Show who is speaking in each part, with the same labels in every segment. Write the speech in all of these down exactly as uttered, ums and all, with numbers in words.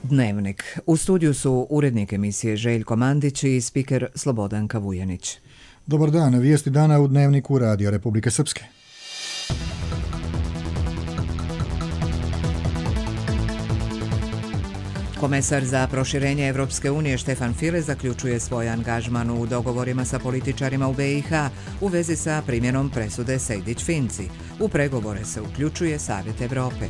Speaker 1: Dnevnik. U studiju su urednik emisije Željko Mandić i spiker Slobodanka Vujanić.
Speaker 2: Dobar dan, vijesti dana u Dnevniku Radija Republike Srpske.
Speaker 1: Komesar za proširenje Evropske unije Štefan File zaključuje svoj angažman u dogovorima sa političarima u be i ha u vezi sa primjenom presude Sejdić-Finci. U pregovore se uključuje Savjet Evrope.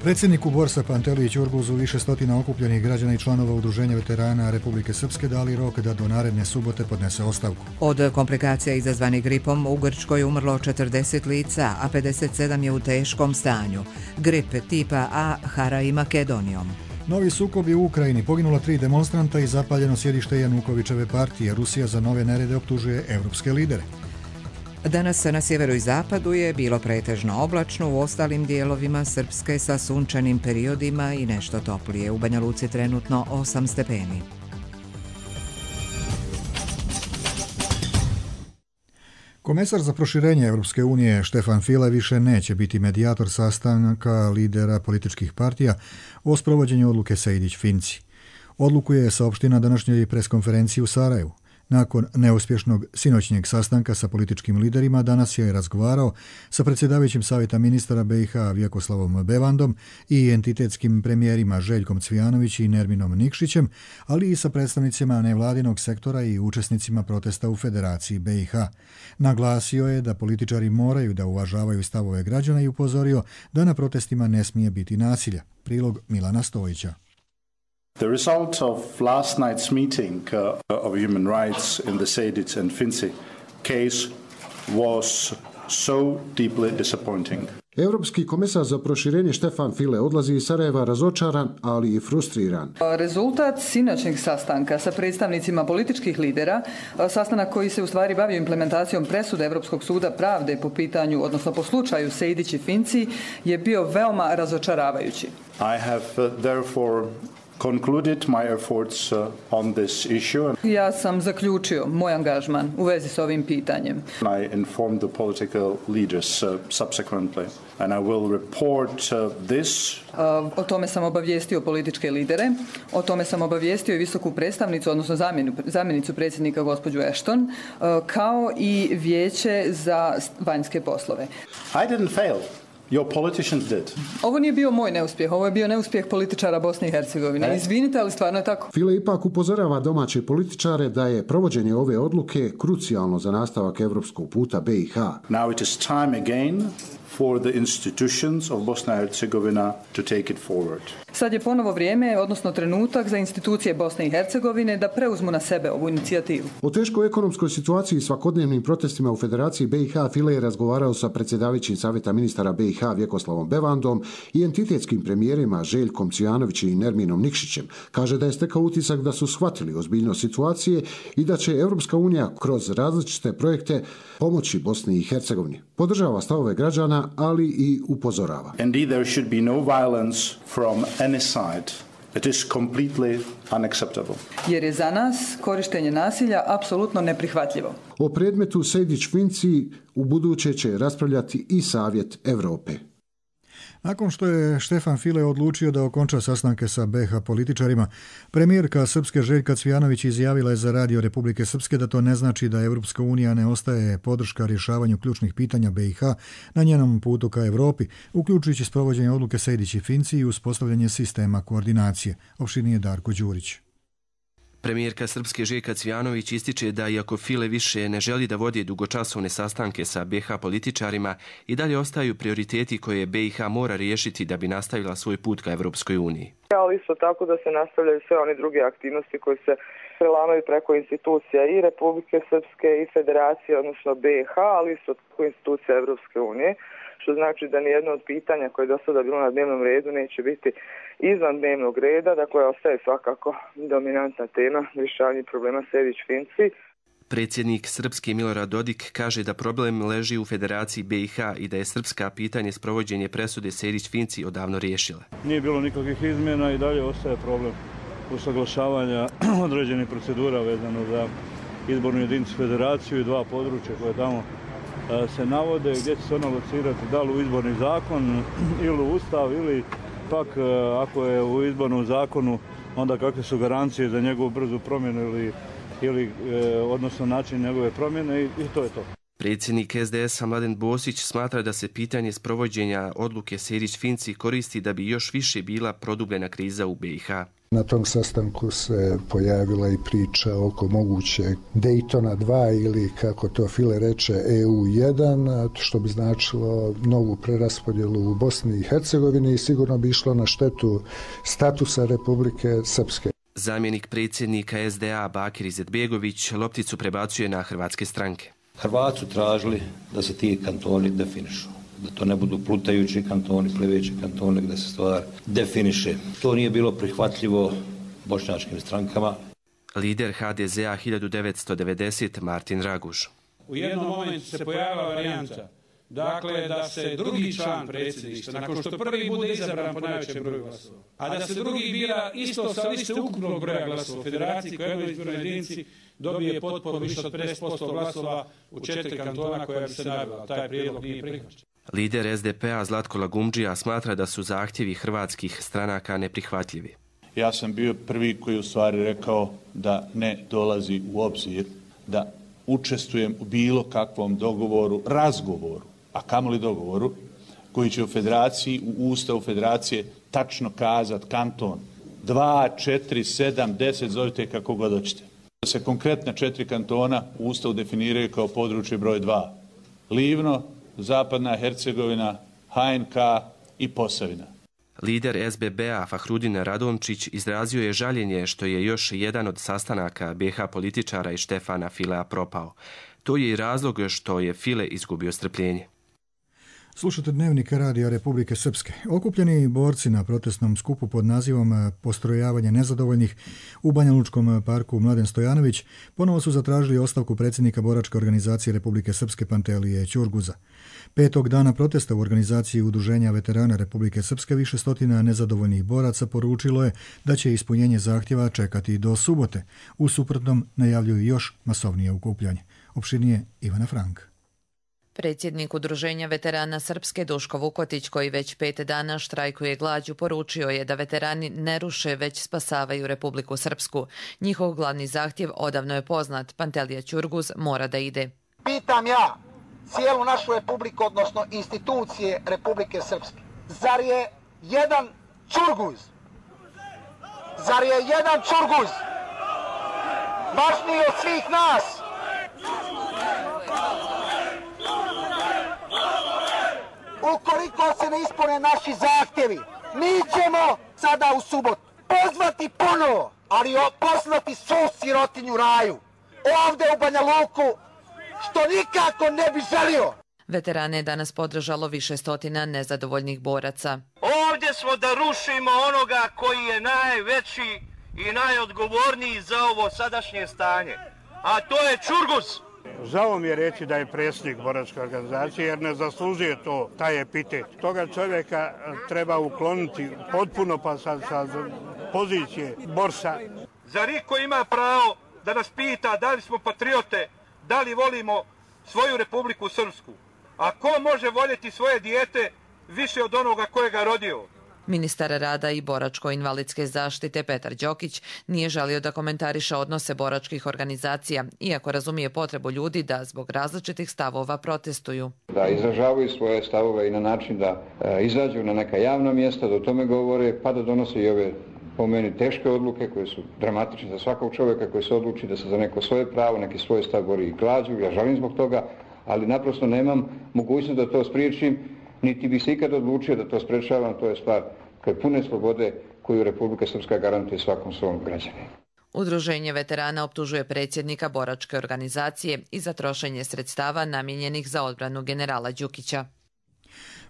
Speaker 2: Predsjedniku Borsa Pantelić Urguzu više stotina okupljenih građana i članova Udruženja veterana Republike Srpske dali rok da do naredne subote podnese ostavku.
Speaker 1: Od komplikacija izazvanih gripom u Grčkoj umrlo četrdeset lica, a pedeset sedam je u teškom stanju. Grip tipa A hara i Makedonijom.
Speaker 2: Novi sukobi u Ukrajini, poginulo tri demonstranta i zapaljeno sjedište Janukovićeve partije. Rusija za nove nerede optužuje evropske lidere.
Speaker 1: Danas na sjeveru i zapadu je bilo pretežno oblačno, u ostalim dijelovima Srpske sa sunčanim periodima i nešto toplije. U Banja Luci trenutno osam stepeni.
Speaker 2: Komesar za proširenje Evropske unije Štefan File više neće biti medijator sastanka lidera političkih partija o sprovođenju odluke Sejdić-Finci. Odluku je saopštio na današnjoj preskonferenciji u Sarajevu. Nakon neuspješnog sinoćnjeg sastanka sa političkim liderima, danas je razgovarao sa predsjedavajućim savjeta ministara be i ha Vjekoslavom Bevandom i entitetskim premijerima Željkom Cvijanović i Nerminom Nikšićem, ali i sa predstavnicima nevladinog sektora i učesnicima protesta u Federaciji be i ha. Naglasio je da političari moraju da uvažavaju stavove građana i upozorio da na protestima ne smije biti nasilja. Prilog Milana Stojića.
Speaker 3: The result of last night's meeting uh, of human rights in the Sejdić and Finci case was so deeply disappointing.
Speaker 4: Europski komesar za proširenje Štefan File odlazi iz Sarajeva razočaran, ali i frustriran.
Speaker 5: Rezultat sinoćnjeg sastanka sa predstavnicima političkih lidera, sastanak koji se u stvari bavio implementacijom presude Europskog suda pravde po pitanju, odnosno po slučaju Sejdić i Finci, je bio veoma razočaravajući.
Speaker 3: I have uh, therefore concluded my efforts uh, on this issue.
Speaker 5: Ja sam zaključio moj angažman u vezi s ovim pitanjem.
Speaker 3: I informed the political leaders uh, subsequently and I will report uh, this.
Speaker 5: Uh, o tome sam obavijestio političke lidere, o tome sam obavijestio i visoku predstavnicu, odnosno zamjenu, zamjenicu predsjednika gospođu Ashton, uh, kao i vijeće za vanjske poslove.
Speaker 3: I didn't fail. Your politicians did.
Speaker 5: Ovo nije bio moj neuspjeh, ovo je bio neuspjeh političara Bosne i Hercegovine. Izvinite, ali stvarno je tako.
Speaker 4: File ipak upozorava domaće političare da je provođenje ove odluke krucijalno za nastavak evropskog puta be i ha.
Speaker 3: Now it is time again for the institutions of Bosnia and Herzegovina to take it forward.
Speaker 5: Sad je ponovo vrijeme, odnosno trenutak za institucije Bosne i Hercegovine da preuzmu na sebe ovu inicijativu.
Speaker 4: O teškoj ekonomskoj situaciji i svakodnevnim protestima u Federaciji be i ha File je razgovarao sa predsjedavajućim savjeta ministara be i ha Vjekoslavom Bevandom i entitetskim premijerima Željkom Cvijanovićem i Nerminom Nikšićem. Kaže da je stekao utisak da su shvatili ozbiljnost situacije i da će Evropska unija kroz različite projekte pomoći Bosni i Hercegovini. Podržava stavove građana, ali i upozorava.
Speaker 3: Indeed, there should be no violence from any side. It is completely unacceptable.
Speaker 5: Jer je za nas korištenje nasilja apsolutno neprihvatljivo.
Speaker 4: O predmetu Sejdić-Finci u buduće će raspravljati i Savjet Evrope.
Speaker 2: Nakon što je Štefan File odlučio da okonča sastanke sa be i ha političarima, premijerka Srpske Željka Cvijanović izjavila je za Radio Republike Srpske da to ne znači da Evropska unija ne ostaje podrška rješavanju ključnih pitanja be i ha na njenom putu ka Evropi, uključujući sprovođenje odluke Sejdić i Finci i uspostavljanje sistema koordinacije. Opširnije Darko Đurić.
Speaker 6: Premijerka Srpske Željka Cvijanović ističe da iako File više ne želi da vodi dugočasovne sastanke sa be i ha političarima, i dalje ostaju prioriteti koje be i ha mora riješiti da bi nastavila svoj put ka Evropskoj uniji.
Speaker 7: Ali isto tako da se nastavljaju sve one druge aktivnosti koje se prelamaju preko institucija i Republike Srpske i Federacije, odnosno be i ha, ali isto tako institucija Evropske unije, što znači da nijedno od pitanja koje je do sada bilo na dnevnom redu neće biti izvan dnevnog reda, dakle ostaje svakako dominantna tema rješavanja problema Sejdić-Finci.
Speaker 6: Predsjednik Srpske Milorad Dodik kaže da problem leži u Federaciji be i ha i da je srpska pitanje sprovođenje presude Sejdić-Finci odavno riješila.
Speaker 8: Nije bilo nikakvih izmjena i dalje ostaje problem usaglašavanja određenih procedura vezano za izbornu jedinicu Federaciju i dva područja koje tamo se navode, gdje će se ona locirati, da li u izborni zakon ili u ustav ili pak ako je u izbornom zakonu, onda kakve su garancije za njegovu brzu promjenu ili, ili odnosno način njegove promjene i, i to je to.
Speaker 6: Predsjednik es de es-a Mladen Bosić smatra da se pitanje sprovođenja odluke Sejdić-Finci koristi da bi još više bila produbljena kriza u be i ha.
Speaker 9: Na tom sastanku se pojavila i priča oko moguće Daytona dva ili, kako to File reče, E U jedan, što bi značilo novu preraspodjelu u Bosni i Hercegovini i sigurno bi išlo na štetu statusa Republike Srpske.
Speaker 6: Zamjenik predsjednika es de a Bakir Izetbegović lopticu prebacuje na hrvatske stranke.
Speaker 10: Hrvati su tražili da se ti kantoni definišu, da to ne budu plutajući kantoni, pliveći kantoni, da se stvar definiše. To nije bilo prihvatljivo bošnjačkim strankama.
Speaker 6: Lider ha de ze a hiljadu devetsto devedesete Martin Raguž.
Speaker 11: U jednom momentu se pojavila varijanta, dakle da se drugi član predsjedništva, nakon što prvi bude izabran po najvećem broju glasova, a da se drugi bira isto sa liste ukupnog broja glasova u federaciji koja je u izbornoj jedinici dobije potporu više od pedeset posto glasova u četiri kantona koja bi se nabila. Taj prijedlog nije prihvaćen.
Speaker 6: Lider es de pe a Zlatko Lagumdžija smatra da su zahtjevi hrvatskih stranaka neprihvatljivi.
Speaker 3: Ja sam bio prvi koji u stvari rekao da ne dolazi u obzir da učestvujem u bilo kakvom dogovoru, razgovoru, a kamoli dogovoru, koji će u federaciji, u ustavu federacije tačno kazat kanton dva, četiri, sedam, deset, zovite kako god hoćete. Da se konkretna četiri kantona u ustavu definiraju kao područje broj dva. Livno, Zapadna Hercegovina, ha en ka i Posavina.
Speaker 6: Lider es be be-a Fahrudin Radončić izrazio je žaljenje što je još jedan od sastanaka be ha političara i Štefana Filea propao. To je i razlog što je File izgubio strpljenje.
Speaker 2: Slušate Dnevnik Radija Republike Srpske. Okupljeni borci na protestnom skupu pod nazivom Postrojavanje nezadovoljnih u Banja Lučkom parku Mladen Stojanović ponovo su zatražili ostavku predsjednika boračke organizacije Republike Srpske Pantelije Ćurguza. Petog dana protesta u organizaciji Udruženja veterana Republike Srpske više stotina nezadovoljnih boraca poručilo je da će ispunjenje zahtjeva čekati do subote. U suprotnom najavljuju još masovnije okupljanje. Opširnije Ivana Frank.
Speaker 12: Predsjednik Udruženja veterana Srpske Duško Vukotić, koji već pet dana štrajkuje glađu, poručio je da veterani ne ruše, već spasavaju Republiku Srpsku. Njihov glavni zahtjev odavno je poznat. Pantelija Ćurguz mora da ide.
Speaker 13: Pitam ja cijelu našu republiku, odnosno institucije Republike Srpske. Zar je jedan Ćurguz? Zar je jedan Ćurguz važniji od svih nas? Ukoliko se ne ispune naši zahtjevi, mi ćemo sada u subotu pozvati ponovo, ali poslati svu sirotinju raju, ovdje u Banja Luku, što nikako ne bi želio.
Speaker 12: Veterane je danas podržalo više stotina nezadovoljnih boraca.
Speaker 14: Ovdje smo da rušimo onoga koji je najveći i najodgovorniji za ovo sadašnje stanje, a to je Ćurguz.
Speaker 15: Žao mi je reći da je predsjednik boračke organizacije jer ne zaslužuje to, taj epitet. Toga čovjeka treba ukloniti potpuno pa sa, sa pozicije borca.
Speaker 14: Zar iko ima pravo da nas pita da li smo patriote, da li volimo svoju Republiku Srpsku? A ko može voljeti svoje dijete više od onoga kojega rodio?
Speaker 12: Ministar rada i boračko-invalidske zaštite Petar Đokić nije želio da komentariše odnose boračkih organizacija, iako razumije potrebu ljudi da zbog različitih stavova protestuju.
Speaker 16: Da izražavaju svoje stavove i na način da e, izađu na neka javna mjesta, da o tome govore, pa da donose i ove po meni teške odluke koje su dramatične za svakog čovjeka koji se odluči da se za neko svoje pravo, neki svoj stav bori i glađu. Ja žalim zbog toga, ali naprosto nemam mogućnost da to spriječim, niti bi se ikad odlučio da to sprečavam, to je stvar koje pune slobode koju Republika Srpska garantuje svakom svom građaninu.
Speaker 12: Udruženje veterana optužuje predsjednika boračke organizacije i za trošenje sredstava namijenjenih za odbranu generala Đukića.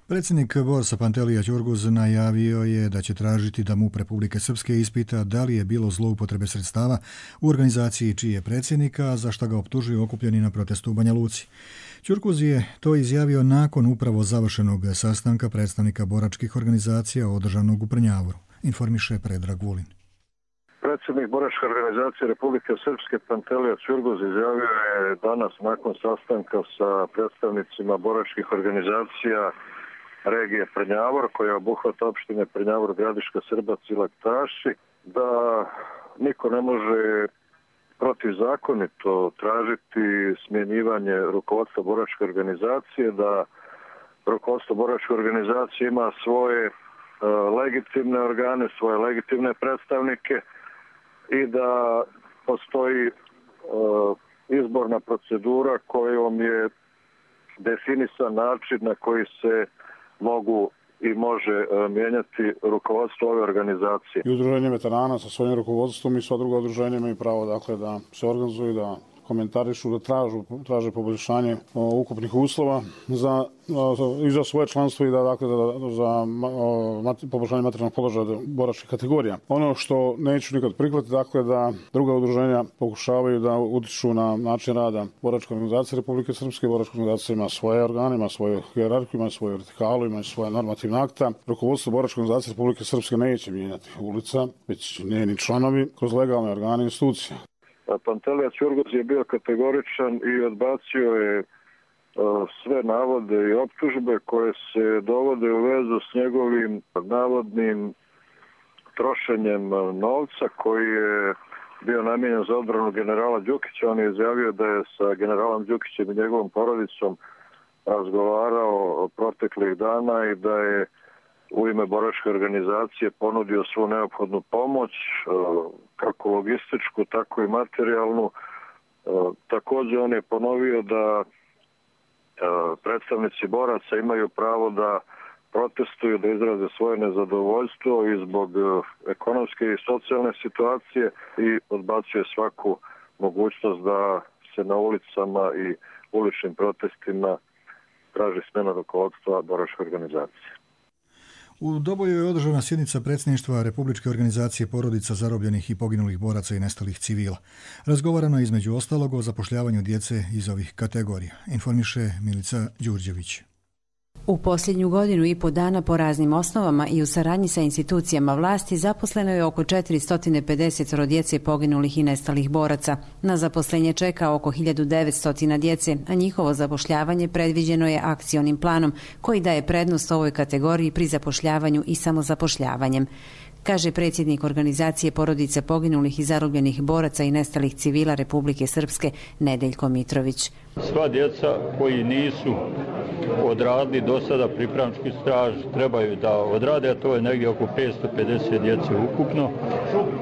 Speaker 2: Predsjednik borsa Pantelija Ćurguz najavio je da će tražiti da MUP Republike Srpske ispita da li je bilo zloupotrebe sredstava u organizaciji čiji je predsjednika, za što ga optužuju okupljeni na protestu u Banja Luci. Ćurguz je to izjavio nakon upravo završenog sastanka predstavnika boračkih organizacija održanog u Prnjavoru, informiše Predrag Vulin.
Speaker 17: Predsjednik boračke organizacije Republike Srpske Pantelija Ćurguz izjavio je danas nakon sastanka sa predstavnicima boračkih organizacija regije Prnjavor, koja obuhvata opštine Prnjavor, Gradiška, Srbac i Laktaši, da niko ne može protivzakonito tražiti smjenjivanje rukovodstva boračke organizacije, da rukovodstvo boračke organizacije ima svoje uh, legitimne organe, svoje legitimne predstavnike i da postoji uh, izborna procedura kojom je definisan način na koji se mogu i može uh, mijenjati rukovodstvo ove organizacije.
Speaker 18: I udruženje veterana sa svojim rukovodstvom i sva druga udruženja imaju pravo dakle, da se organizuju, da komentarišu, da tražu, traže poboljšanje o, ukupnih uslova za, o, i za svoje članstvo i da, dakle, da, za o, mat, poboljšanje materijalnog položaja boračkih kategorija. Ono što neću nikad prihvatiti, dakle, da druga udruženja pokušavaju da utiču na način rada boračke organizacije Republike Srpske. Boračka organizacija ima svoje organe, ima svoju hijerarhiju, ima svoju vertikalu, ima svoje normativne akta. Rukovodstvo boračke organizacije Republike Srpske neće mijenjati ulica, već njeni članovi kroz legalne organe i institucije.
Speaker 17: Pantelija Ćurgoz je bio kategoričan i odbacio je sve navode i optužbe koje se dovode u vezu s njegovim navodnim trošenjem novca koji je bio namijenjen za odbranu generala Đukića. On je izjavio da je sa generalom Đukićem i njegovom porodicom razgovarao proteklih dana i da je u ime boračke organizacije ponudio svu neophodnu pomoć, kako logističku, tako i materijalnu. Također on je ponovio da predstavnici boraca imaju pravo da protestuju, da izraze svoje nezadovoljstvo i zbog ekonomske i socijalne situacije i odbacuje svaku mogućnost da se na ulicama i uličnim protestima traži smjena rukovodstva boračke organizacije.
Speaker 2: U Doboju je održana sjednica predsjedništva Republičke organizacije porodica zarobljenih i poginulih boraca i nestalih civila. Razgovarano je između ostalog o zapošljavanju djece iz ovih kategorija. Informiše Milica Đurđević.
Speaker 19: U posljednju godinu i po dana po raznim osnovama i u saradnji sa institucijama vlasti zaposleno je oko četiristo pedeset djece poginulih i nestalih boraca. Na zaposlenje čeka oko hiljadu devetsto djece, a njihovo zapošljavanje predviđeno je akcionim planom koji daje prednost ovoj kategoriji pri zapošljavanju i samozapošljavanjem, kaže predsjednik organizacije porodice poginulih i zarobljenih boraca i nestalih civila Republike Srpske Nedeljko Mitrović.
Speaker 20: Sva djeca koji nisu odradili do sada pripravnički staž trebaju da odrade, a to je negdje oko petsto pedeset djece ukupno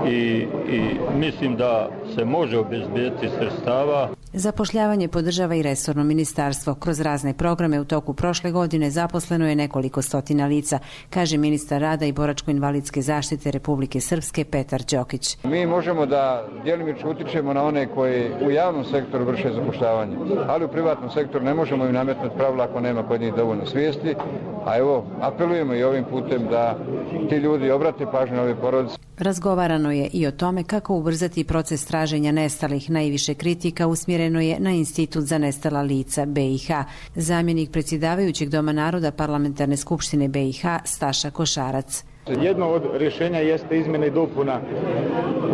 Speaker 20: i, i mislim da se može obezbediti sredstava.
Speaker 19: Zapošljavanje podržava i resorno ministarstvo. Kroz razne programe u toku prošle godine zaposleno je nekoliko stotina lica, kaže ministar rada i boračko-invalidske zaštite Republike Srpske Petar Đokić.
Speaker 16: Mi možemo da djelimično utičemo na one koji u javnom sektoru vrše zapošljavanje, ali u privatnom sektoru ne možemo im nametnuti pravila ako nema kod njih dovoljno svijesti, a evo apelujemo i ovim putem da ti ljudi obrate pažnju na ove porodice.
Speaker 19: Razgovarano je i o tome kako ubrzati proces traženja nestalih. Najviše kritika usmjereno je na Institut za nestala lica B i H. Zamjenik predsjedavajućeg Doma naroda Parlamentarne skupštine B i H Staša Košarac.
Speaker 21: Jedno od rješenja jeste izmjena i dopuna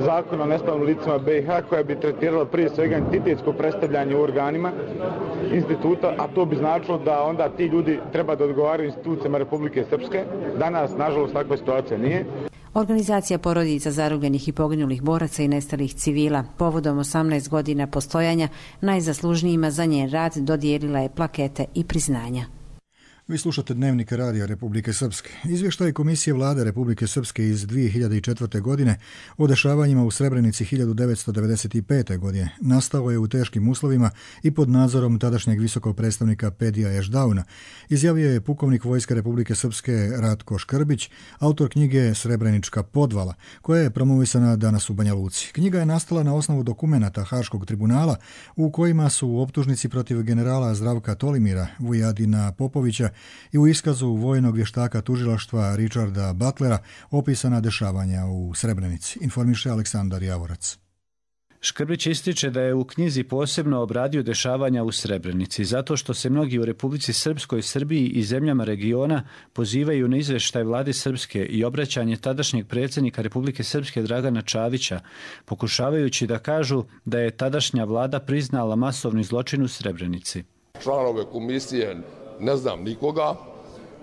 Speaker 21: zakona o nestalim licima B i H koja bi tretirala prije svega entitetsko predstavljanje u organima instituta, a to bi značilo da onda ti ljudi treba da odgovaraju institucijama Republike Srpske. Danas, nažalost, takva situacija nije.
Speaker 19: Organizacija porodica zarobljenih i poginulih boraca i nestalih civila povodom osamnaest godina postojanja najzaslužnijima za njen rad dodijelila je plakete i priznanja.
Speaker 2: Vi slušate Dnevnik radija Republike Srpske. Izvještaj Komisije vlade Republike Srpske iz dvije hiljade četvrte. godine o dešavanjima u Srebrenici hiljadu devetsto devedeset pete. godine nastao je u teškim uslovima i pod nadzorom tadašnjeg visokog predstavnika Pedija Ešdauna, izjavio je pukovnik Vojske Republike Srpske Ratko Škrbić, autor knjige Srebrenička podvala, koja je promovisana danas u Banja Luci. Knjiga je nastala na osnovu dokumenata Haškog tribunala u kojima su u optužnici protiv generala Zdravka Tolimira, Vujadina Popovića i u iskazu vojnog vještaka tužilaštva Richarda Butlera opisana dešavanja u Srebrenici, informiše Aleksandar Javorac.
Speaker 22: Škrbić ističe da je u knjizi posebno obradio dešavanja u Srebrenici, zato što se mnogi u Republici Srpskoj, Srbiji i zemljama regiona pozivaju na izveštaj vlade Srpske i obraćanje tadašnjeg predsjednika Republike Srpske Dragana Čavića, pokušavajući da kažu da je tadašnja vlada priznala masovni zločin u Srebrenici.
Speaker 23: Članove komisije ne znam nikoga,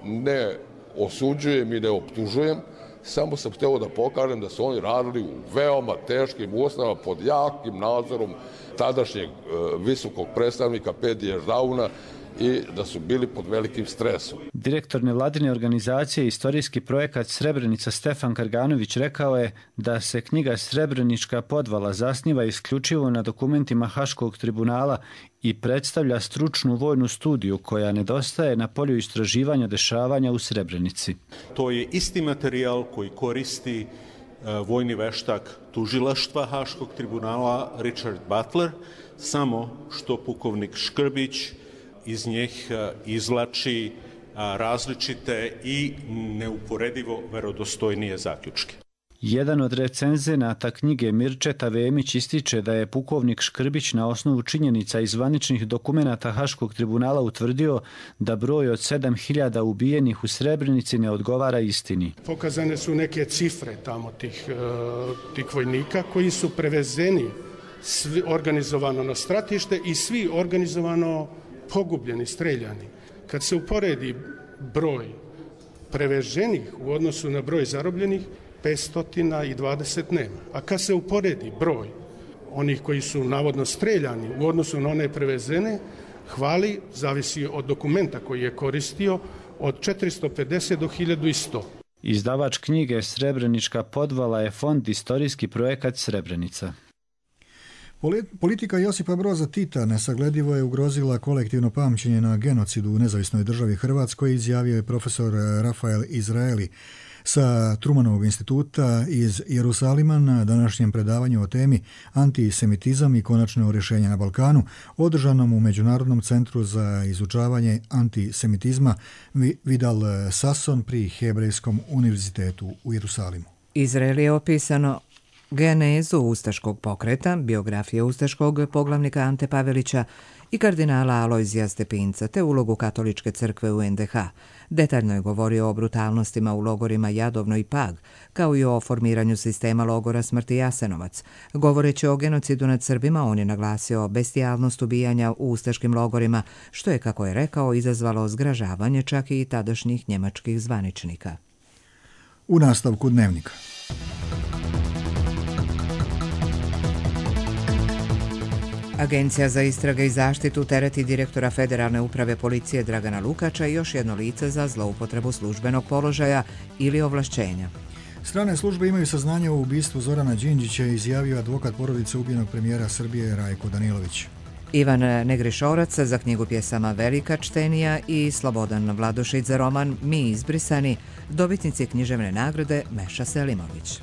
Speaker 1: ne osuđujem i ne optužujem, samo sam htio da pokažem da su oni radili u veoma teškim uslovima pod jakim nadzorom tadašnjeg e, visokog predstavnika Pedije Ždauna i da su bili pod velikim stresom.
Speaker 22: Direktor nevladine organizacije Istorijski projekat Srebrenica Stefan Karganović rekao je da se knjiga Srebrenička podvala zasniva isključivo na dokumentima Haškog tribunala i predstavlja stručnu vojnu studiju koja nedostaje na polju istraživanja dešavanja u Srebrenici.
Speaker 5: To je isti materijal koji koristi vojni veštak tužilaštva Haškog tribunala Richard Butler, samo što pukovnik Škrbić iz njih izvlači različite i neuporedivo verodostojnije zaključke.
Speaker 22: Jedan od recenzenata knjige Mirčeta Vemić ističe da je pukovnik Škrbić na osnovu činjenica i zvaničnih dokumenata Haškog tribunala utvrdio da broj od sedam hiljada ubijenih u Srebrenici ne odgovara istini.
Speaker 23: Pokazane su neke cifre tamo tih, tih vojnika koji su prevezeni svi organizovano na stratište i svi organizovano pogubljeni, streljani. Kad se uporedi broj preveženih u odnosu na broj zarobljenih, petsto dvadeset nema. A kad se uporedi broj onih koji su navodno streljani u odnosu na one prevezene, hvali, zavisi od dokumenta koji je koristio, od četiristo pedeset do hiljadu sto.
Speaker 22: Izdavač knjige Srebrenička podvala je Fond Istorijski projekat Srebrenica.
Speaker 2: Politika Josipa Broza Tita nesagledivo je ugrozila kolektivno pamćenje na genocidu u nezavisnoj državi Hrvatskoj, izjavio je profesor Rafael Izraeli sa Trumanovog instituta iz Jerusalima na današnjem predavanju o temi Antisemitizam i konačno rješenje na Balkanu, održanom u Međunarodnom centru za izučavanje antisemitizma Vidal Sasson pri Hebrejskom univerzitetu u Jerusalimu.
Speaker 24: Izrael je opisano genezu ustaškog pokreta, biografije ustaškog poglavnika Ante Pavelića i kardinala Alojzija Stepinca, te ulogu katoličke crkve u en de ha. Detaljno je govorio o brutalnostima u logorima Jadovno i Pag, kao i o formiranju sistema logora smrti Jasenovac. Govoreći o genocidu nad Srbima, on je naglasio bestijalnost ubijanja u ustaškim logorima, što je, kako je rekao, izazvalo zgražavanje čak i tadašnjih njemačkih zvaničnika.
Speaker 2: U nastavku Dnevnika.
Speaker 24: Agencija za istrage i zaštitu tereti direktora Federalne uprave policije Dragana Lukača i još jedno lice za zloupotrebu službenog položaja ili ovlašćenja.
Speaker 2: Strane službe imaju saznanje o ubistvu Zorana Đinđića, izjavio advokat porodice ubijenog premijera Srbije Rajko Danilović.
Speaker 24: Ivan Negrišorac za knjigu pjesama Velika čtenija i Slobodan Vladušić za roman Mi izbrisani, dobitnici književne nagrade Meša Selimović.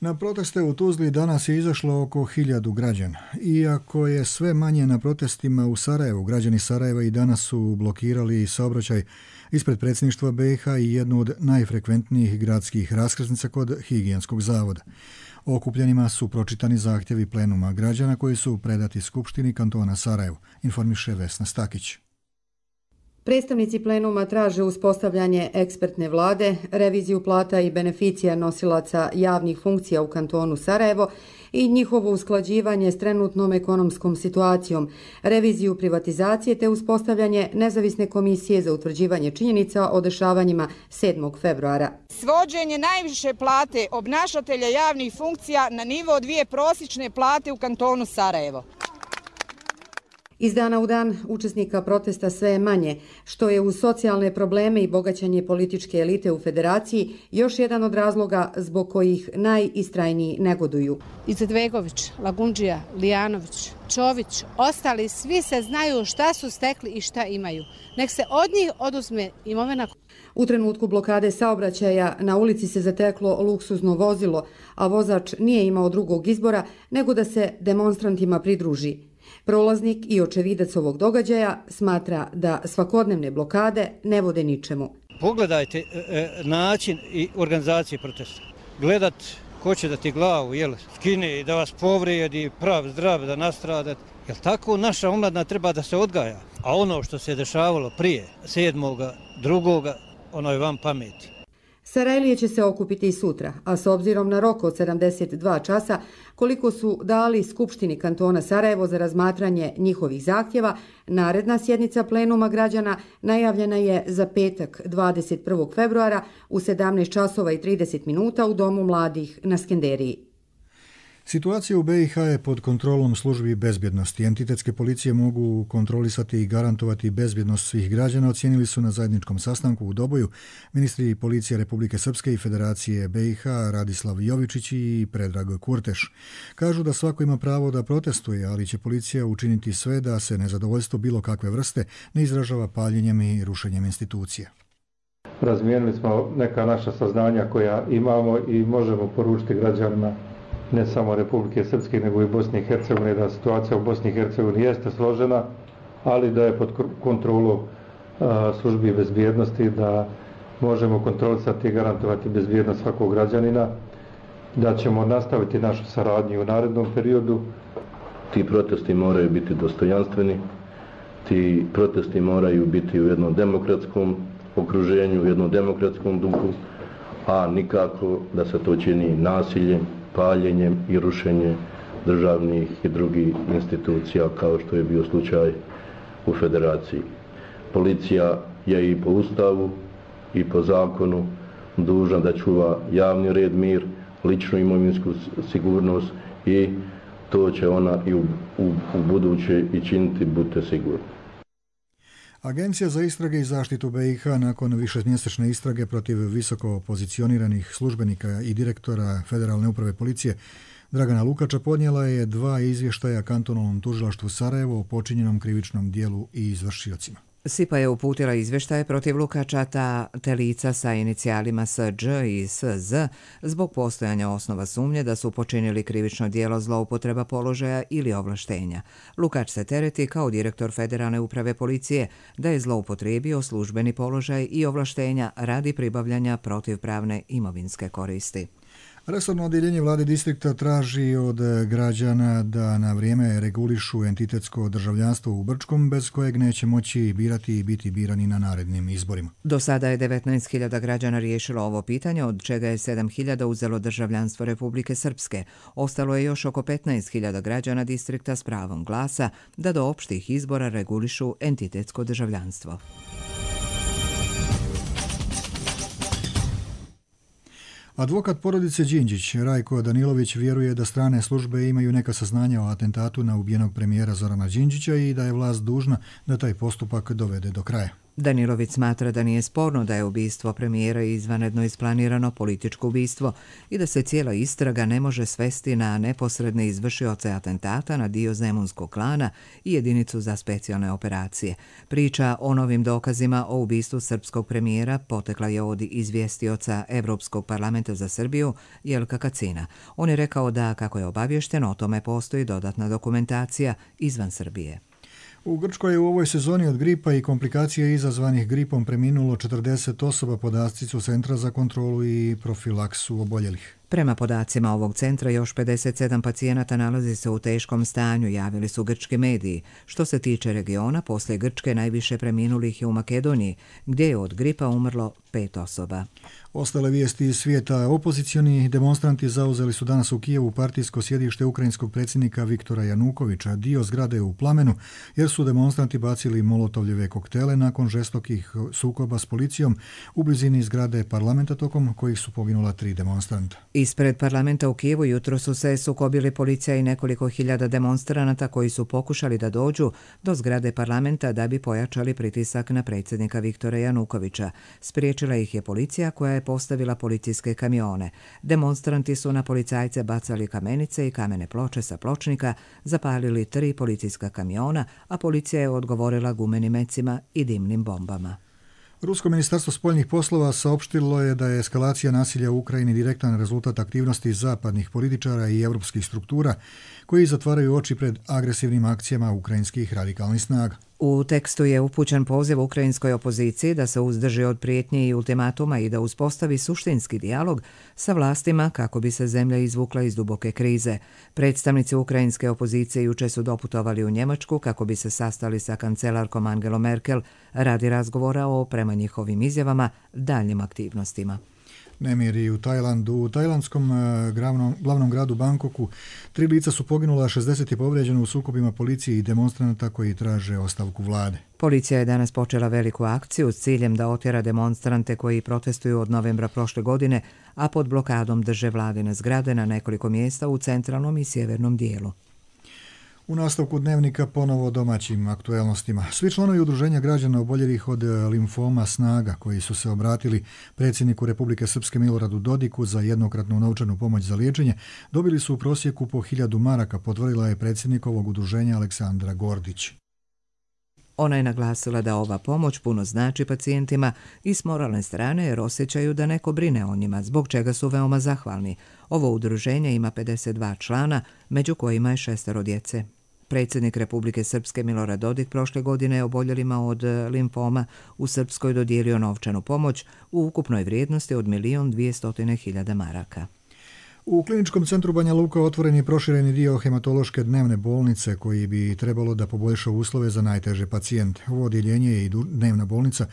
Speaker 2: Na proteste u Tuzli danas je izašlo oko hiljadu građana. Iako je sve manje na protestima u Sarajevu, građani Sarajeva i danas su blokirali saobraćaj ispred predsjedništva be i ha i jednu od najfrekventnijih gradskih raskrsnica kod Higijenskog zavoda. Okupljenima su pročitani zahtjevi plenuma građana koji su predati Skupštini kantona Sarajevo, informiše Vesna Stakić.
Speaker 25: Predstavnici plenuma traže uspostavljanje ekspertne vlade, reviziju plata i beneficija nosilaca javnih funkcija u kantonu Sarajevo i njihovo usklađivanje s trenutnom ekonomskom situacijom, reviziju privatizacije te uspostavljanje nezavisne komisije za utvrđivanje činjenica o dešavanjima sedmog februara.
Speaker 26: Svođenje najviše plate obnašatelja javnih funkcija na nivo dvije prosječne plate u kantonu Sarajevo.
Speaker 25: Iz dana u dan učesnika protesta sve je manje, što je uz socijalne probleme i bogaćanje političke elite u federaciji još jedan od razloga zbog kojih najistrajniji negoduju.
Speaker 27: Izetbegović, Lagundžija, Lijanović, Čović, ostali svi se znaju šta su stekli i šta imaju. Nek se od njih oduzme imovina.
Speaker 25: U trenutku blokade saobraćaja na ulici se zateklo luksuzno vozilo, a vozač nije imao drugog izbora nego da se demonstrantima pridruži. Prolaznik i očevidac ovog događaja smatra da svakodnevne blokade ne vode ničemu.
Speaker 28: Pogledajte e, način i organizacije protesta. Gledat ko će da ti glavu jel, skine i da vas povrijedi, prav, zdrav, da nastrada. Jel tako naša omladina treba da se odgaja? A ono što se dešavalo prije sedmoga, drugoga, ono je vam pameti.
Speaker 25: Sarajlije će se okupiti i sutra, a s obzirom na rok od sedamdeset dva časa, koliko su dali Skupštini kantona Sarajevo za razmatranje njihovih zahtjeva, naredna sjednica plenuma građana najavljena je za petak dvadeset prvog februara u sedamnaest časova i trideset minuta u Domu mladih na Skenderiji.
Speaker 2: Situacija u be i ha je pod kontrolom službi bezbjednosti. Entitetske policije mogu kontrolisati i garantovati bezbjednost svih građana, ocijenili su na zajedničkom sastanku u Doboju ministri policije Republike Srpske i Federacije be i ha Radislav Jovičić i Predrag Kurteš. Kažu da svako ima pravo da protestuje, ali će policija učiniti sve da se nezadovoljstvo bilo kakve vrste ne izražava paljenjem i rušenjem institucija.
Speaker 3: Razmijenili smo neka naša saznanja koja imamo i možemo poručiti građanima ne samo Republike Srpske, nego i Bosne i Hercegovine, da situacija u Bosni i Hercegovini jeste složena, ali da je pod kontrolom službi bezbjednosti, da možemo kontrolisati i garantovati bezbjednost svakog građanina, da ćemo nastaviti našu saradnju u narednom periodu.
Speaker 4: Ti protesti moraju biti dostojanstveni, ti protesti moraju biti u jednom demokratskom okruženju, u jednom demokratskom duhu, a nikako da se to čini nasiljem, paljenjem i rušenjem državnih i drugih institucija kao što je bio slučaj u Federaciji. Policija je i po Ustavu i po zakonu dužna da čuva javni red, mir, ličnu imovinsku sigurnost i to će ona i u, u, u buduće i činiti, budite sigurni.
Speaker 2: Agencija za istrage i zaštitu be i ha nakon višemjesečne istrage protiv visoko pozicioniranih službenika i direktora Federalne uprave policije Dragana Lukača podnijela je dva izvještaja kantonalnom tužilaštvu Sarajevo o počinjenom krivičnom dijelu i izvršiocima.
Speaker 24: SIPA je uputila izvještaje protiv Lukača te lica sa inicijalima S Đ i S Z zbog postojanja osnova sumnje da su počinili krivično djelo zloupotreba položaja ili ovlaštenja. Lukač se tereti kao direktor Federalne uprave policije da je zloupotrijebio službeni položaj i ovlaštenja radi pribavljanja protivpravne imovinske koristi.
Speaker 2: Resorno odjeljenje vlade distrikta traži od građana da na vrijeme regulišu entitetsko državljanstvo u Brčkom, bez kojeg neće moći birati i biti birani na narednim izborima.
Speaker 24: Do sada je devetnaest hiljada građana riješilo ovo pitanje, od čega je sedam hiljada uzelo državljanstvo Republike Srpske. Ostalo je još oko petnaest hiljada građana distrikta s pravom glasa da do opštih izbora regulišu entitetsko državljanstvo.
Speaker 2: Advokat porodice Đinđić, Rajko Danilović, vjeruje da strane službe imaju neka saznanja o atentatu na ubijenog premijera Zorana Đinđića i da je vlast dužna da taj postupak dovede do kraja.
Speaker 24: Danilović smatra da nije sporno da je ubistvo premijera izvanredno isplanirano političko ubistvo i da se cijela istraga ne može svesti na neposredne izvršioce atentata na dio zemunskog klana i jedinicu za specijalne operacije. Priča o novim dokazima o ubistvu srpskog premijera potekla je od izvjestioca Evropskog parlamenta za Srbiju Jelka Kacina. On je rekao da, kako je obavješteno, o tome postoji dodatna dokumentacija izvan Srbije.
Speaker 2: U Grčkoj je u ovoj sezoni od gripa i komplikacije izazvanih gripom preminulo četrdeset osoba, podaci su Centra za kontrolu i profilaksu oboljelih.
Speaker 24: Prema podacima ovog centra, još pedeset sedam pacijenata nalazi se u teškom stanju, javili su grčki mediji. Što se tiče regiona, poslije Grčke najviše preminulih je u Makedoniji, gdje je od gripa umrlo pet osoba.
Speaker 2: Ostale vijesti iz svijeta. Opozicioni demonstranti zauzeli su danas u Kijevu partijsko sjedište ukrajinskog predsjednika Viktora Janukovića. Dio zgrade je u plamenu jer su demonstranti bacili molotovljeve koktele nakon žestokih sukoba s policijom u blizini zgrade parlamenta, tokom kojih su poginula tri demonstranta.
Speaker 24: Ispred parlamenta u Kijevu jutro su se sukobili policija i nekoliko hiljada demonstranata koji su pokušali da dođu do zgrade parlamenta da bi pojačali pritisak na predsjednika Viktora Janukovića. Spriječila ih je policija koja je postavila policijske kamione. Demonstranti su na policajce bacali kamenice i kamene ploče sa pločnika, zapalili tri policijska kamiona, a policija je odgovorila gumenim mecima i dimnim bombama.
Speaker 2: Rusko ministarstvo spoljnih poslova saopštilo je da je eskalacija nasilja u Ukrajini direktan rezultat aktivnosti zapadnih političara i evropskih struktura koji zatvaraju oči pred agresivnim akcijama ukrajinskih radikalnih snaga.
Speaker 24: U tekstu je upućen poziv ukrajinskoj opoziciji da se uzdrži od prijetnje i ultimatuma i da uspostavi suštinski dijalog sa vlastima kako bi se zemlja izvukla iz duboke krize. Predstavnici ukrajinske opozicije juče su doputovali u Njemačku kako bi se sastali sa kancelarkom Angelom Merkel radi razgovora o, prema njihovim izjavama, daljnjim aktivnostima.
Speaker 2: Nemiri u Tajlandu. U tajlandskom glavnom, glavnom gradu Bangkoku tri lica su poginula, šezdeset je povrijeđeno u sukobima policije i demonstranata koji traže ostavku vlade.
Speaker 24: Policija je danas počela veliku akciju s ciljem da otjera demonstrante koji protestuju od novembra prošle godine, a pod blokadom drže vladine zgrade na nekoliko mjesta u centralnom i sjevernom dijelu.
Speaker 2: U nastavku dnevnika ponovo o domaćim aktuelnostima. Svi članovi udruženja građana oboljelih od limfoma Snaga, koji su se obratili predsjedniku Republike Srpske Miloradu Dodiku za jednokratnu novčanu pomoć za liječenje, dobili su u prosjeku po hiljadu maraka, potvrdila je predsjednikovog udruženja Aleksandra Gordić.
Speaker 24: Ona je naglasila da ova pomoć puno znači pacijentima i s moralne strane jer osjećaju da neko brine o njima, zbog čega su veoma zahvalni. Ovo udruženje ima pedeset dva člana, među kojima je šestero djece. Predsjednik Republike Srpske Milorad Dodik prošle godine je oboljelima od limfoma u Srpskoj dodijelio novčanu pomoć u ukupnoj vrijednosti od milion dvijestotine hiljada maraka.
Speaker 2: U kliničkom centru Banja Luka otvoren je prošireni dio hematološke dnevne bolnice koji bi trebalo da poboljša uslove za najteže pacijente. Ovo odjeljenje i dnevna bolnica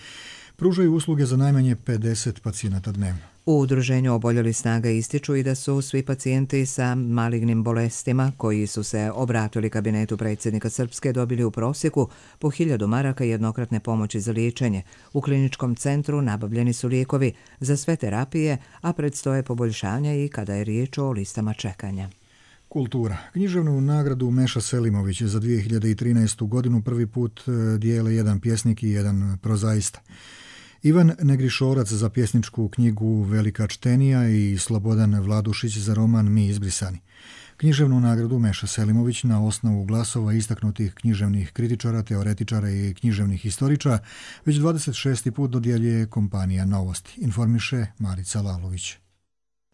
Speaker 2: pružaju usluge za najmanje pedeset pacijenata dnevno.
Speaker 24: U udruženju Oboljeli Snaga ističu i da su svi pacijenti sa malignim bolestima koji su se obratili kabinetu predsjednika Srpske dobili u prosjeku po hiljadu maraka jednokratne pomoći za liječenje. U kliničkom centru nabavljeni su lijekovi za sve terapije, a predstoje poboljšanja i kada je riječ o listama čekanja.
Speaker 2: Kultura. Književnu nagradu Meša Selimović za dvije hiljade trinaestu godinu prvi put dijele jedan pjesnik i jedan prozaista. Ivan Negrišorac za pjesničku knjigu Velika čtenija i Slobodan Vladušić za roman Mi izbrisani. Književnu nagradu Meša Selimović na osnovu glasova istaknutih književnih kritičara, teoretičara i književnih historičara već dvadeset šesti put dodjeljuje kompanija Novosti, informiše Marica Lalović.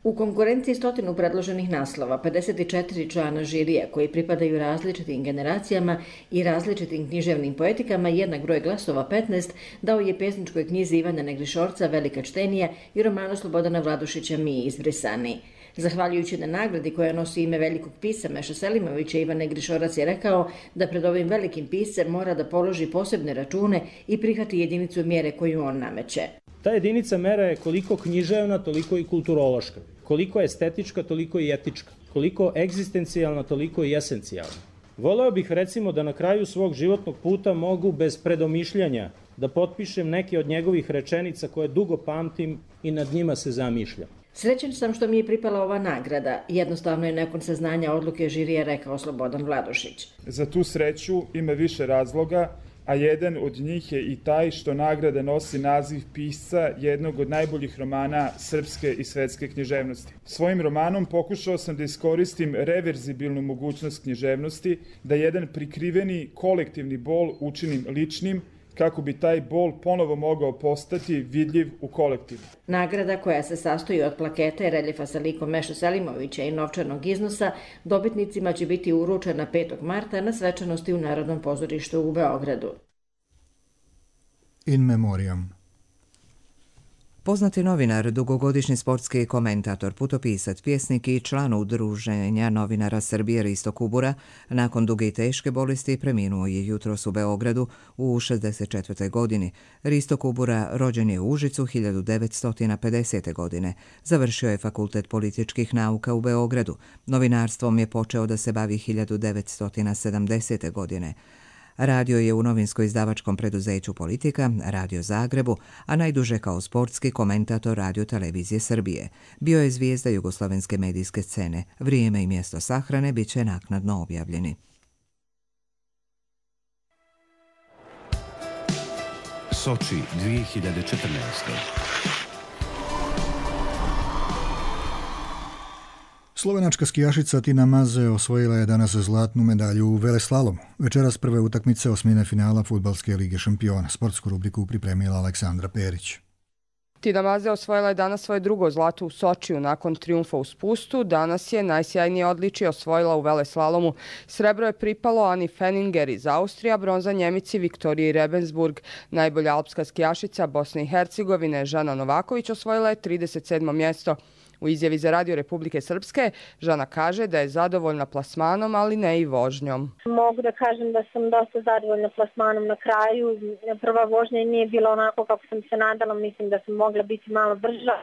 Speaker 6: U konkurenciji stotinu predloženih naslova, pedeset četiri člana žirija koji pripadaju različitim generacijama i različitim književnim poetikama, jednak broj glasova petnaest dao je pjesničkoj knjizi Ivana Negrišorca Velika čtenija i romanu Slobodana Vladušića Mi izbrisani. Zahvaljujući na nagradi koja nosi ime velikog pisca Meša Selimovića, Ivan Negrišorac je rekao da pred ovim velikim piscem mora da položi posebne račune i prihvati jedinicu mjere koju on nameće.
Speaker 7: Ta jedinica mera je koliko književna, toliko i kulturološka. Koliko estetička, toliko i etička. Koliko egzistencijalna, toliko i esencijalna. Voleo bih recimo da na kraju svog životnog puta mogu bez predomišljanja da potpišem neke od njegovih rečenica koje dugo pamtim i nad njima se zamišljam.
Speaker 6: Srećan sam što mi je pripala ova nagrada. Jednostavno je nakon saznanja odluke žirija rekao Slobodan Vladušić.
Speaker 8: Za tu sreću ima više razloga, a jedan od njih je i taj što nagrada nosi naziv pisca jednog od najboljih romana srpske i svetske književnosti. Svojim romanom pokušao sam da iskoristim reverzibilnu mogućnost književnosti, da jedan prikriveni kolektivni bol učinim ličnim, kako bi taj bol ponovo mogao postati vidljiv u kolektivu.
Speaker 6: Nagrada koja se sastoji od plaketa i reljefa sa likom Meša Selimovića i novčanog iznosa dobitnicima će biti uručena petog marta na svečanosti u Narodnom pozorištu u Beogradu.
Speaker 2: In memoriam.
Speaker 24: Poznati novinar, dugogodišnji sportski komentator, putopisac, pjesnik i član Udruženja novinara Srbije Risto Kubura, nakon duge i teške bolesti preminuo je jutros u Beogradu u šezdeset četvrtoj godini. Risto Kubura rođen je u Užicu hiljadu devetsto pedesete. godine. Završio je Fakultet političkih nauka u Beogradu. Novinarstvom je počeo da se bavi hiljadu devetsto sedamdesete. godine. Radio je u novinsko-izdavačkom preduzeću Politika, Radio Zagrebu, a najduže kao sportski komentator Radio Televizije Srbije. Bio je zvijezda jugoslovenske medijske scene. Vrijeme i mjesto sahrane bit će naknadno objavljeni.
Speaker 9: Soči dvije hiljade četrnaeste.
Speaker 2: Slovenačka skijašica Tina Maze osvojila je danas zlatnu medalju u veleslalomu. Večeras prve utakmice osmine finala Fudbalske lige šampiona. Sportsku rubriku pripremila Aleksandra Perić.
Speaker 10: Tina Maze osvojila je danas svoje drugo zlato u Sočiju nakon trijumfa u spustu. Danas je najsjajnije odličje osvojila u veleslalomu. Srebro je pripalo Ani Fenninger iz Austrija, bronza Njemici Viktoriji Rebensburg. Najbolja alpska skijašica Bosne i Hercegovine Žana Novaković osvojila je trideset sedmo mjesto. U izjavi za Radio Republike Srpske, Žana kaže da je zadovoljna plasmanom, ali ne i vožnjom.
Speaker 11: Mogu da kažem da sam dosta zadovoljna plasmanom na kraju. Prva vožnja nije bila onako kako sam se nadala, mislim da sam mogla biti malo brža.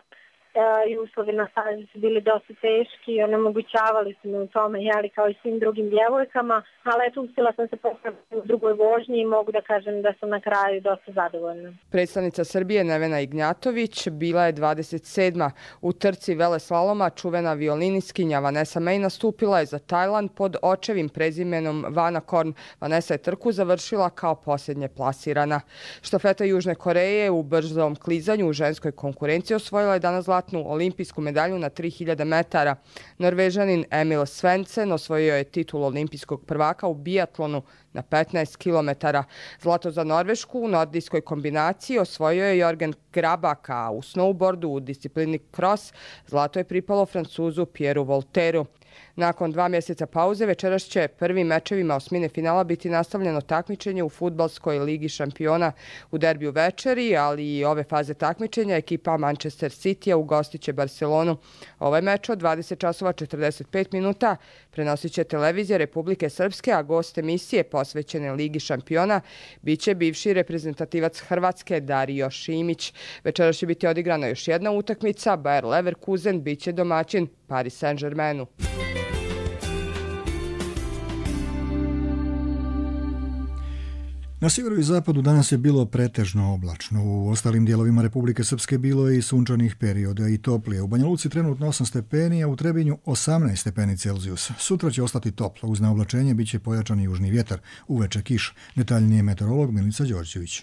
Speaker 11: i uslovi na stazi su bili dosta teški i onemogućavali su me u tome, jeli, kao i svim drugim djevojkama, ali eto, uspjela sam se popraviti u drugoj vožnji i mogu da kažem da sam na kraju dosta zadovoljna.
Speaker 10: Predstavnica Srbije Nevena Ignjatović bila je dvadeset sedma U trci veleslaloma čuvena violiniskinja Vanessa May nastupila je za Tajland pod očevim prezimenom Vana Korn. Vanessa je trku završila kao posljednje plasirana. Štafeta Južne Koreje u brzom klizanju u ženskoj konkurenciji osvojila je danas zlatnu olimpijsku medalju na tri hiljade metara. Norvežanin Emil Svensson osvojio je titul olimpijskog prvaka u biatlonu na petnaest kilometara. Zlato za Norvešku u nordijskoj kombinaciji osvojio je Jorgen Grabak, a u snowboardu u disciplini cross zlato je pripalo Francuzu Pierru Voltairu. Nakon dva mjeseca pauze večeras će prvim mečevima osmine finala biti nastavljeno takmičenje u fudbalskoj ligi šampiona u derbiju večeri, ali i ove faze takmičenja ekipa Manchester City-a ugostit će Barcelonu. Ovaj meč od dvadeset časova četrdeset pet minuta prenosit će televizija Republike Srpske, a gost emisije posvećene ligi šampiona biće bivši reprezentativac Hrvatske Dario Šimić. Večeras će biti odigrana još jedna utakmica, Bayer Leverkusen biće domaćin Paris Saint-Germainu.
Speaker 2: Na sjeveru i zapadu danas je bilo pretežno oblačno. U ostalim dijelovima Republike Srpske bilo je i sunčanih perioda i toplije. U Banja Luci trenutno osam stepeni, a u Trebinju osamnaest stepeni Celzijusa. Sutra će ostati toplo. Uz naoblačenje bit će pojačan južni vjetar. Uveče kiš. Detaljnije meteorolog Milica Đorđević.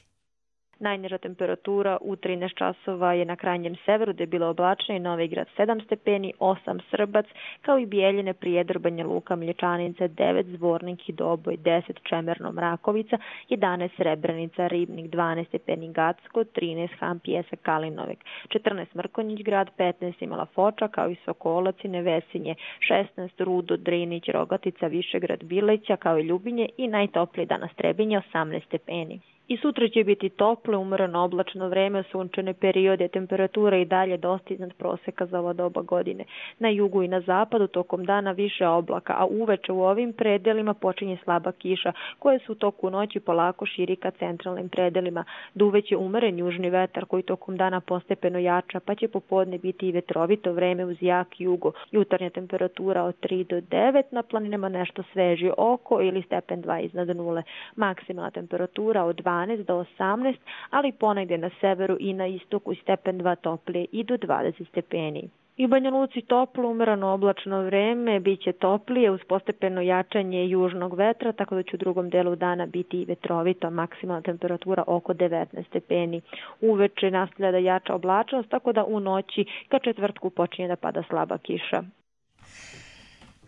Speaker 12: Najniža temperatura u trinaest časova je na krajnjem severu, gdje je bilo oblačno i Novi Grad sedam stepeni, osam Srbac, kao i Bijeljine, Prijedor, Banja Luka, Mlječanica devet, Zvornik i Doboj deset, Čemerno, Mrakovica jedanaest, Srebrenica, Ribnik dvanaest stepeni, Gacko trinaest, Han, Pjesak, Kalinovek četrnaest, Mrkonjić Grad petnaest, Imala Foča, kao i Sokolac i Nevesinje šesnaest, Rudo, Drinić, Rogatica, Višegrad, Bileća, kao i Ljubinje i najtoplije danas Trebinje osamnaest stepeni. I sutra će biti toplo, umoreno oblačno vreme, sunčane periode, temperatura i dalje dosta iznad proseka za ovo doba godine. Na jugu i na zapadu tokom dana više oblaka, a uveče u ovim predelima počinje slaba kiša, koje su u toku noći polako širi ka centralnim predelima. Duveće umeren južni vetar koji tokom dana postepeno jača, pa će popodne biti i vetrovito vreme uz jak jugo. Jutarnja temperatura od tri do devet, na planinama nešto sveži oko ili stepen dva iznad nule. Maksimalna temperatura od dvanaest do osamnaest, ali ponegdje na severu i na istoku stepen dva toplije i do dvadeset stepeni. I u Banja Luci toplo, umerano oblačno vreme, bit će toplije uz postepeno jačanje južnog vetra, tako da će u drugom delu dana biti i vetrovito, maksimalna temperatura oko devetnaest stepeni. Uveče nastavlja da jača oblačnost, tako da u noći ka četvrtku počinje da pada slaba kiša.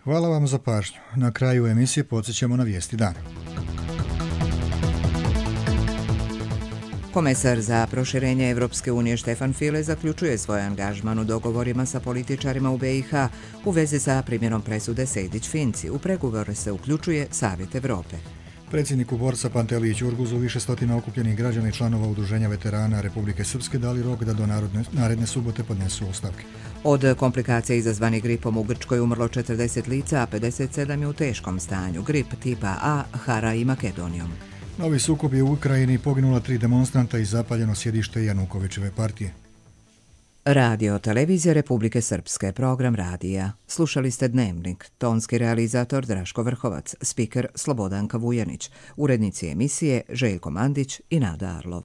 Speaker 2: Hvala vam za pažnju. Na kraju emisije podsjećamo na vijesti dana.
Speaker 24: Komesar za proširenje Evropske unije Štefan File zaključuje svoj angažman u dogovorima sa političarima u B i H u vezi sa primjenom presude Sejdić-Finci. U pregovore se uključuje Savjet Evrope.
Speaker 2: Predsjedniku borca Panteliji Ćurguzu više stotina okupljenih građana i članova Udruženja veterana Republike Srpske dali rok da do narodne, naredne subote podnesu ostavke.
Speaker 24: Od komplikacija izazvanih gripom u Grčkoj umrlo četrdeset lica, a pedeset sedam je u teškom stanju. Grip tipa A hara i Makedonijom.
Speaker 2: Novi sukob je u Ukrajini, poginula tri demonstranta i zapaljeno sjedište Janukovićeve partije.
Speaker 24: Radio Televizija Republike Srpske, program radija. Slušali ste Dnevnik, tonski realizator Draško Vrhovac, spiker Slobodanka Vujanić, urednici emisije Željko Mandić i Nada Arlov.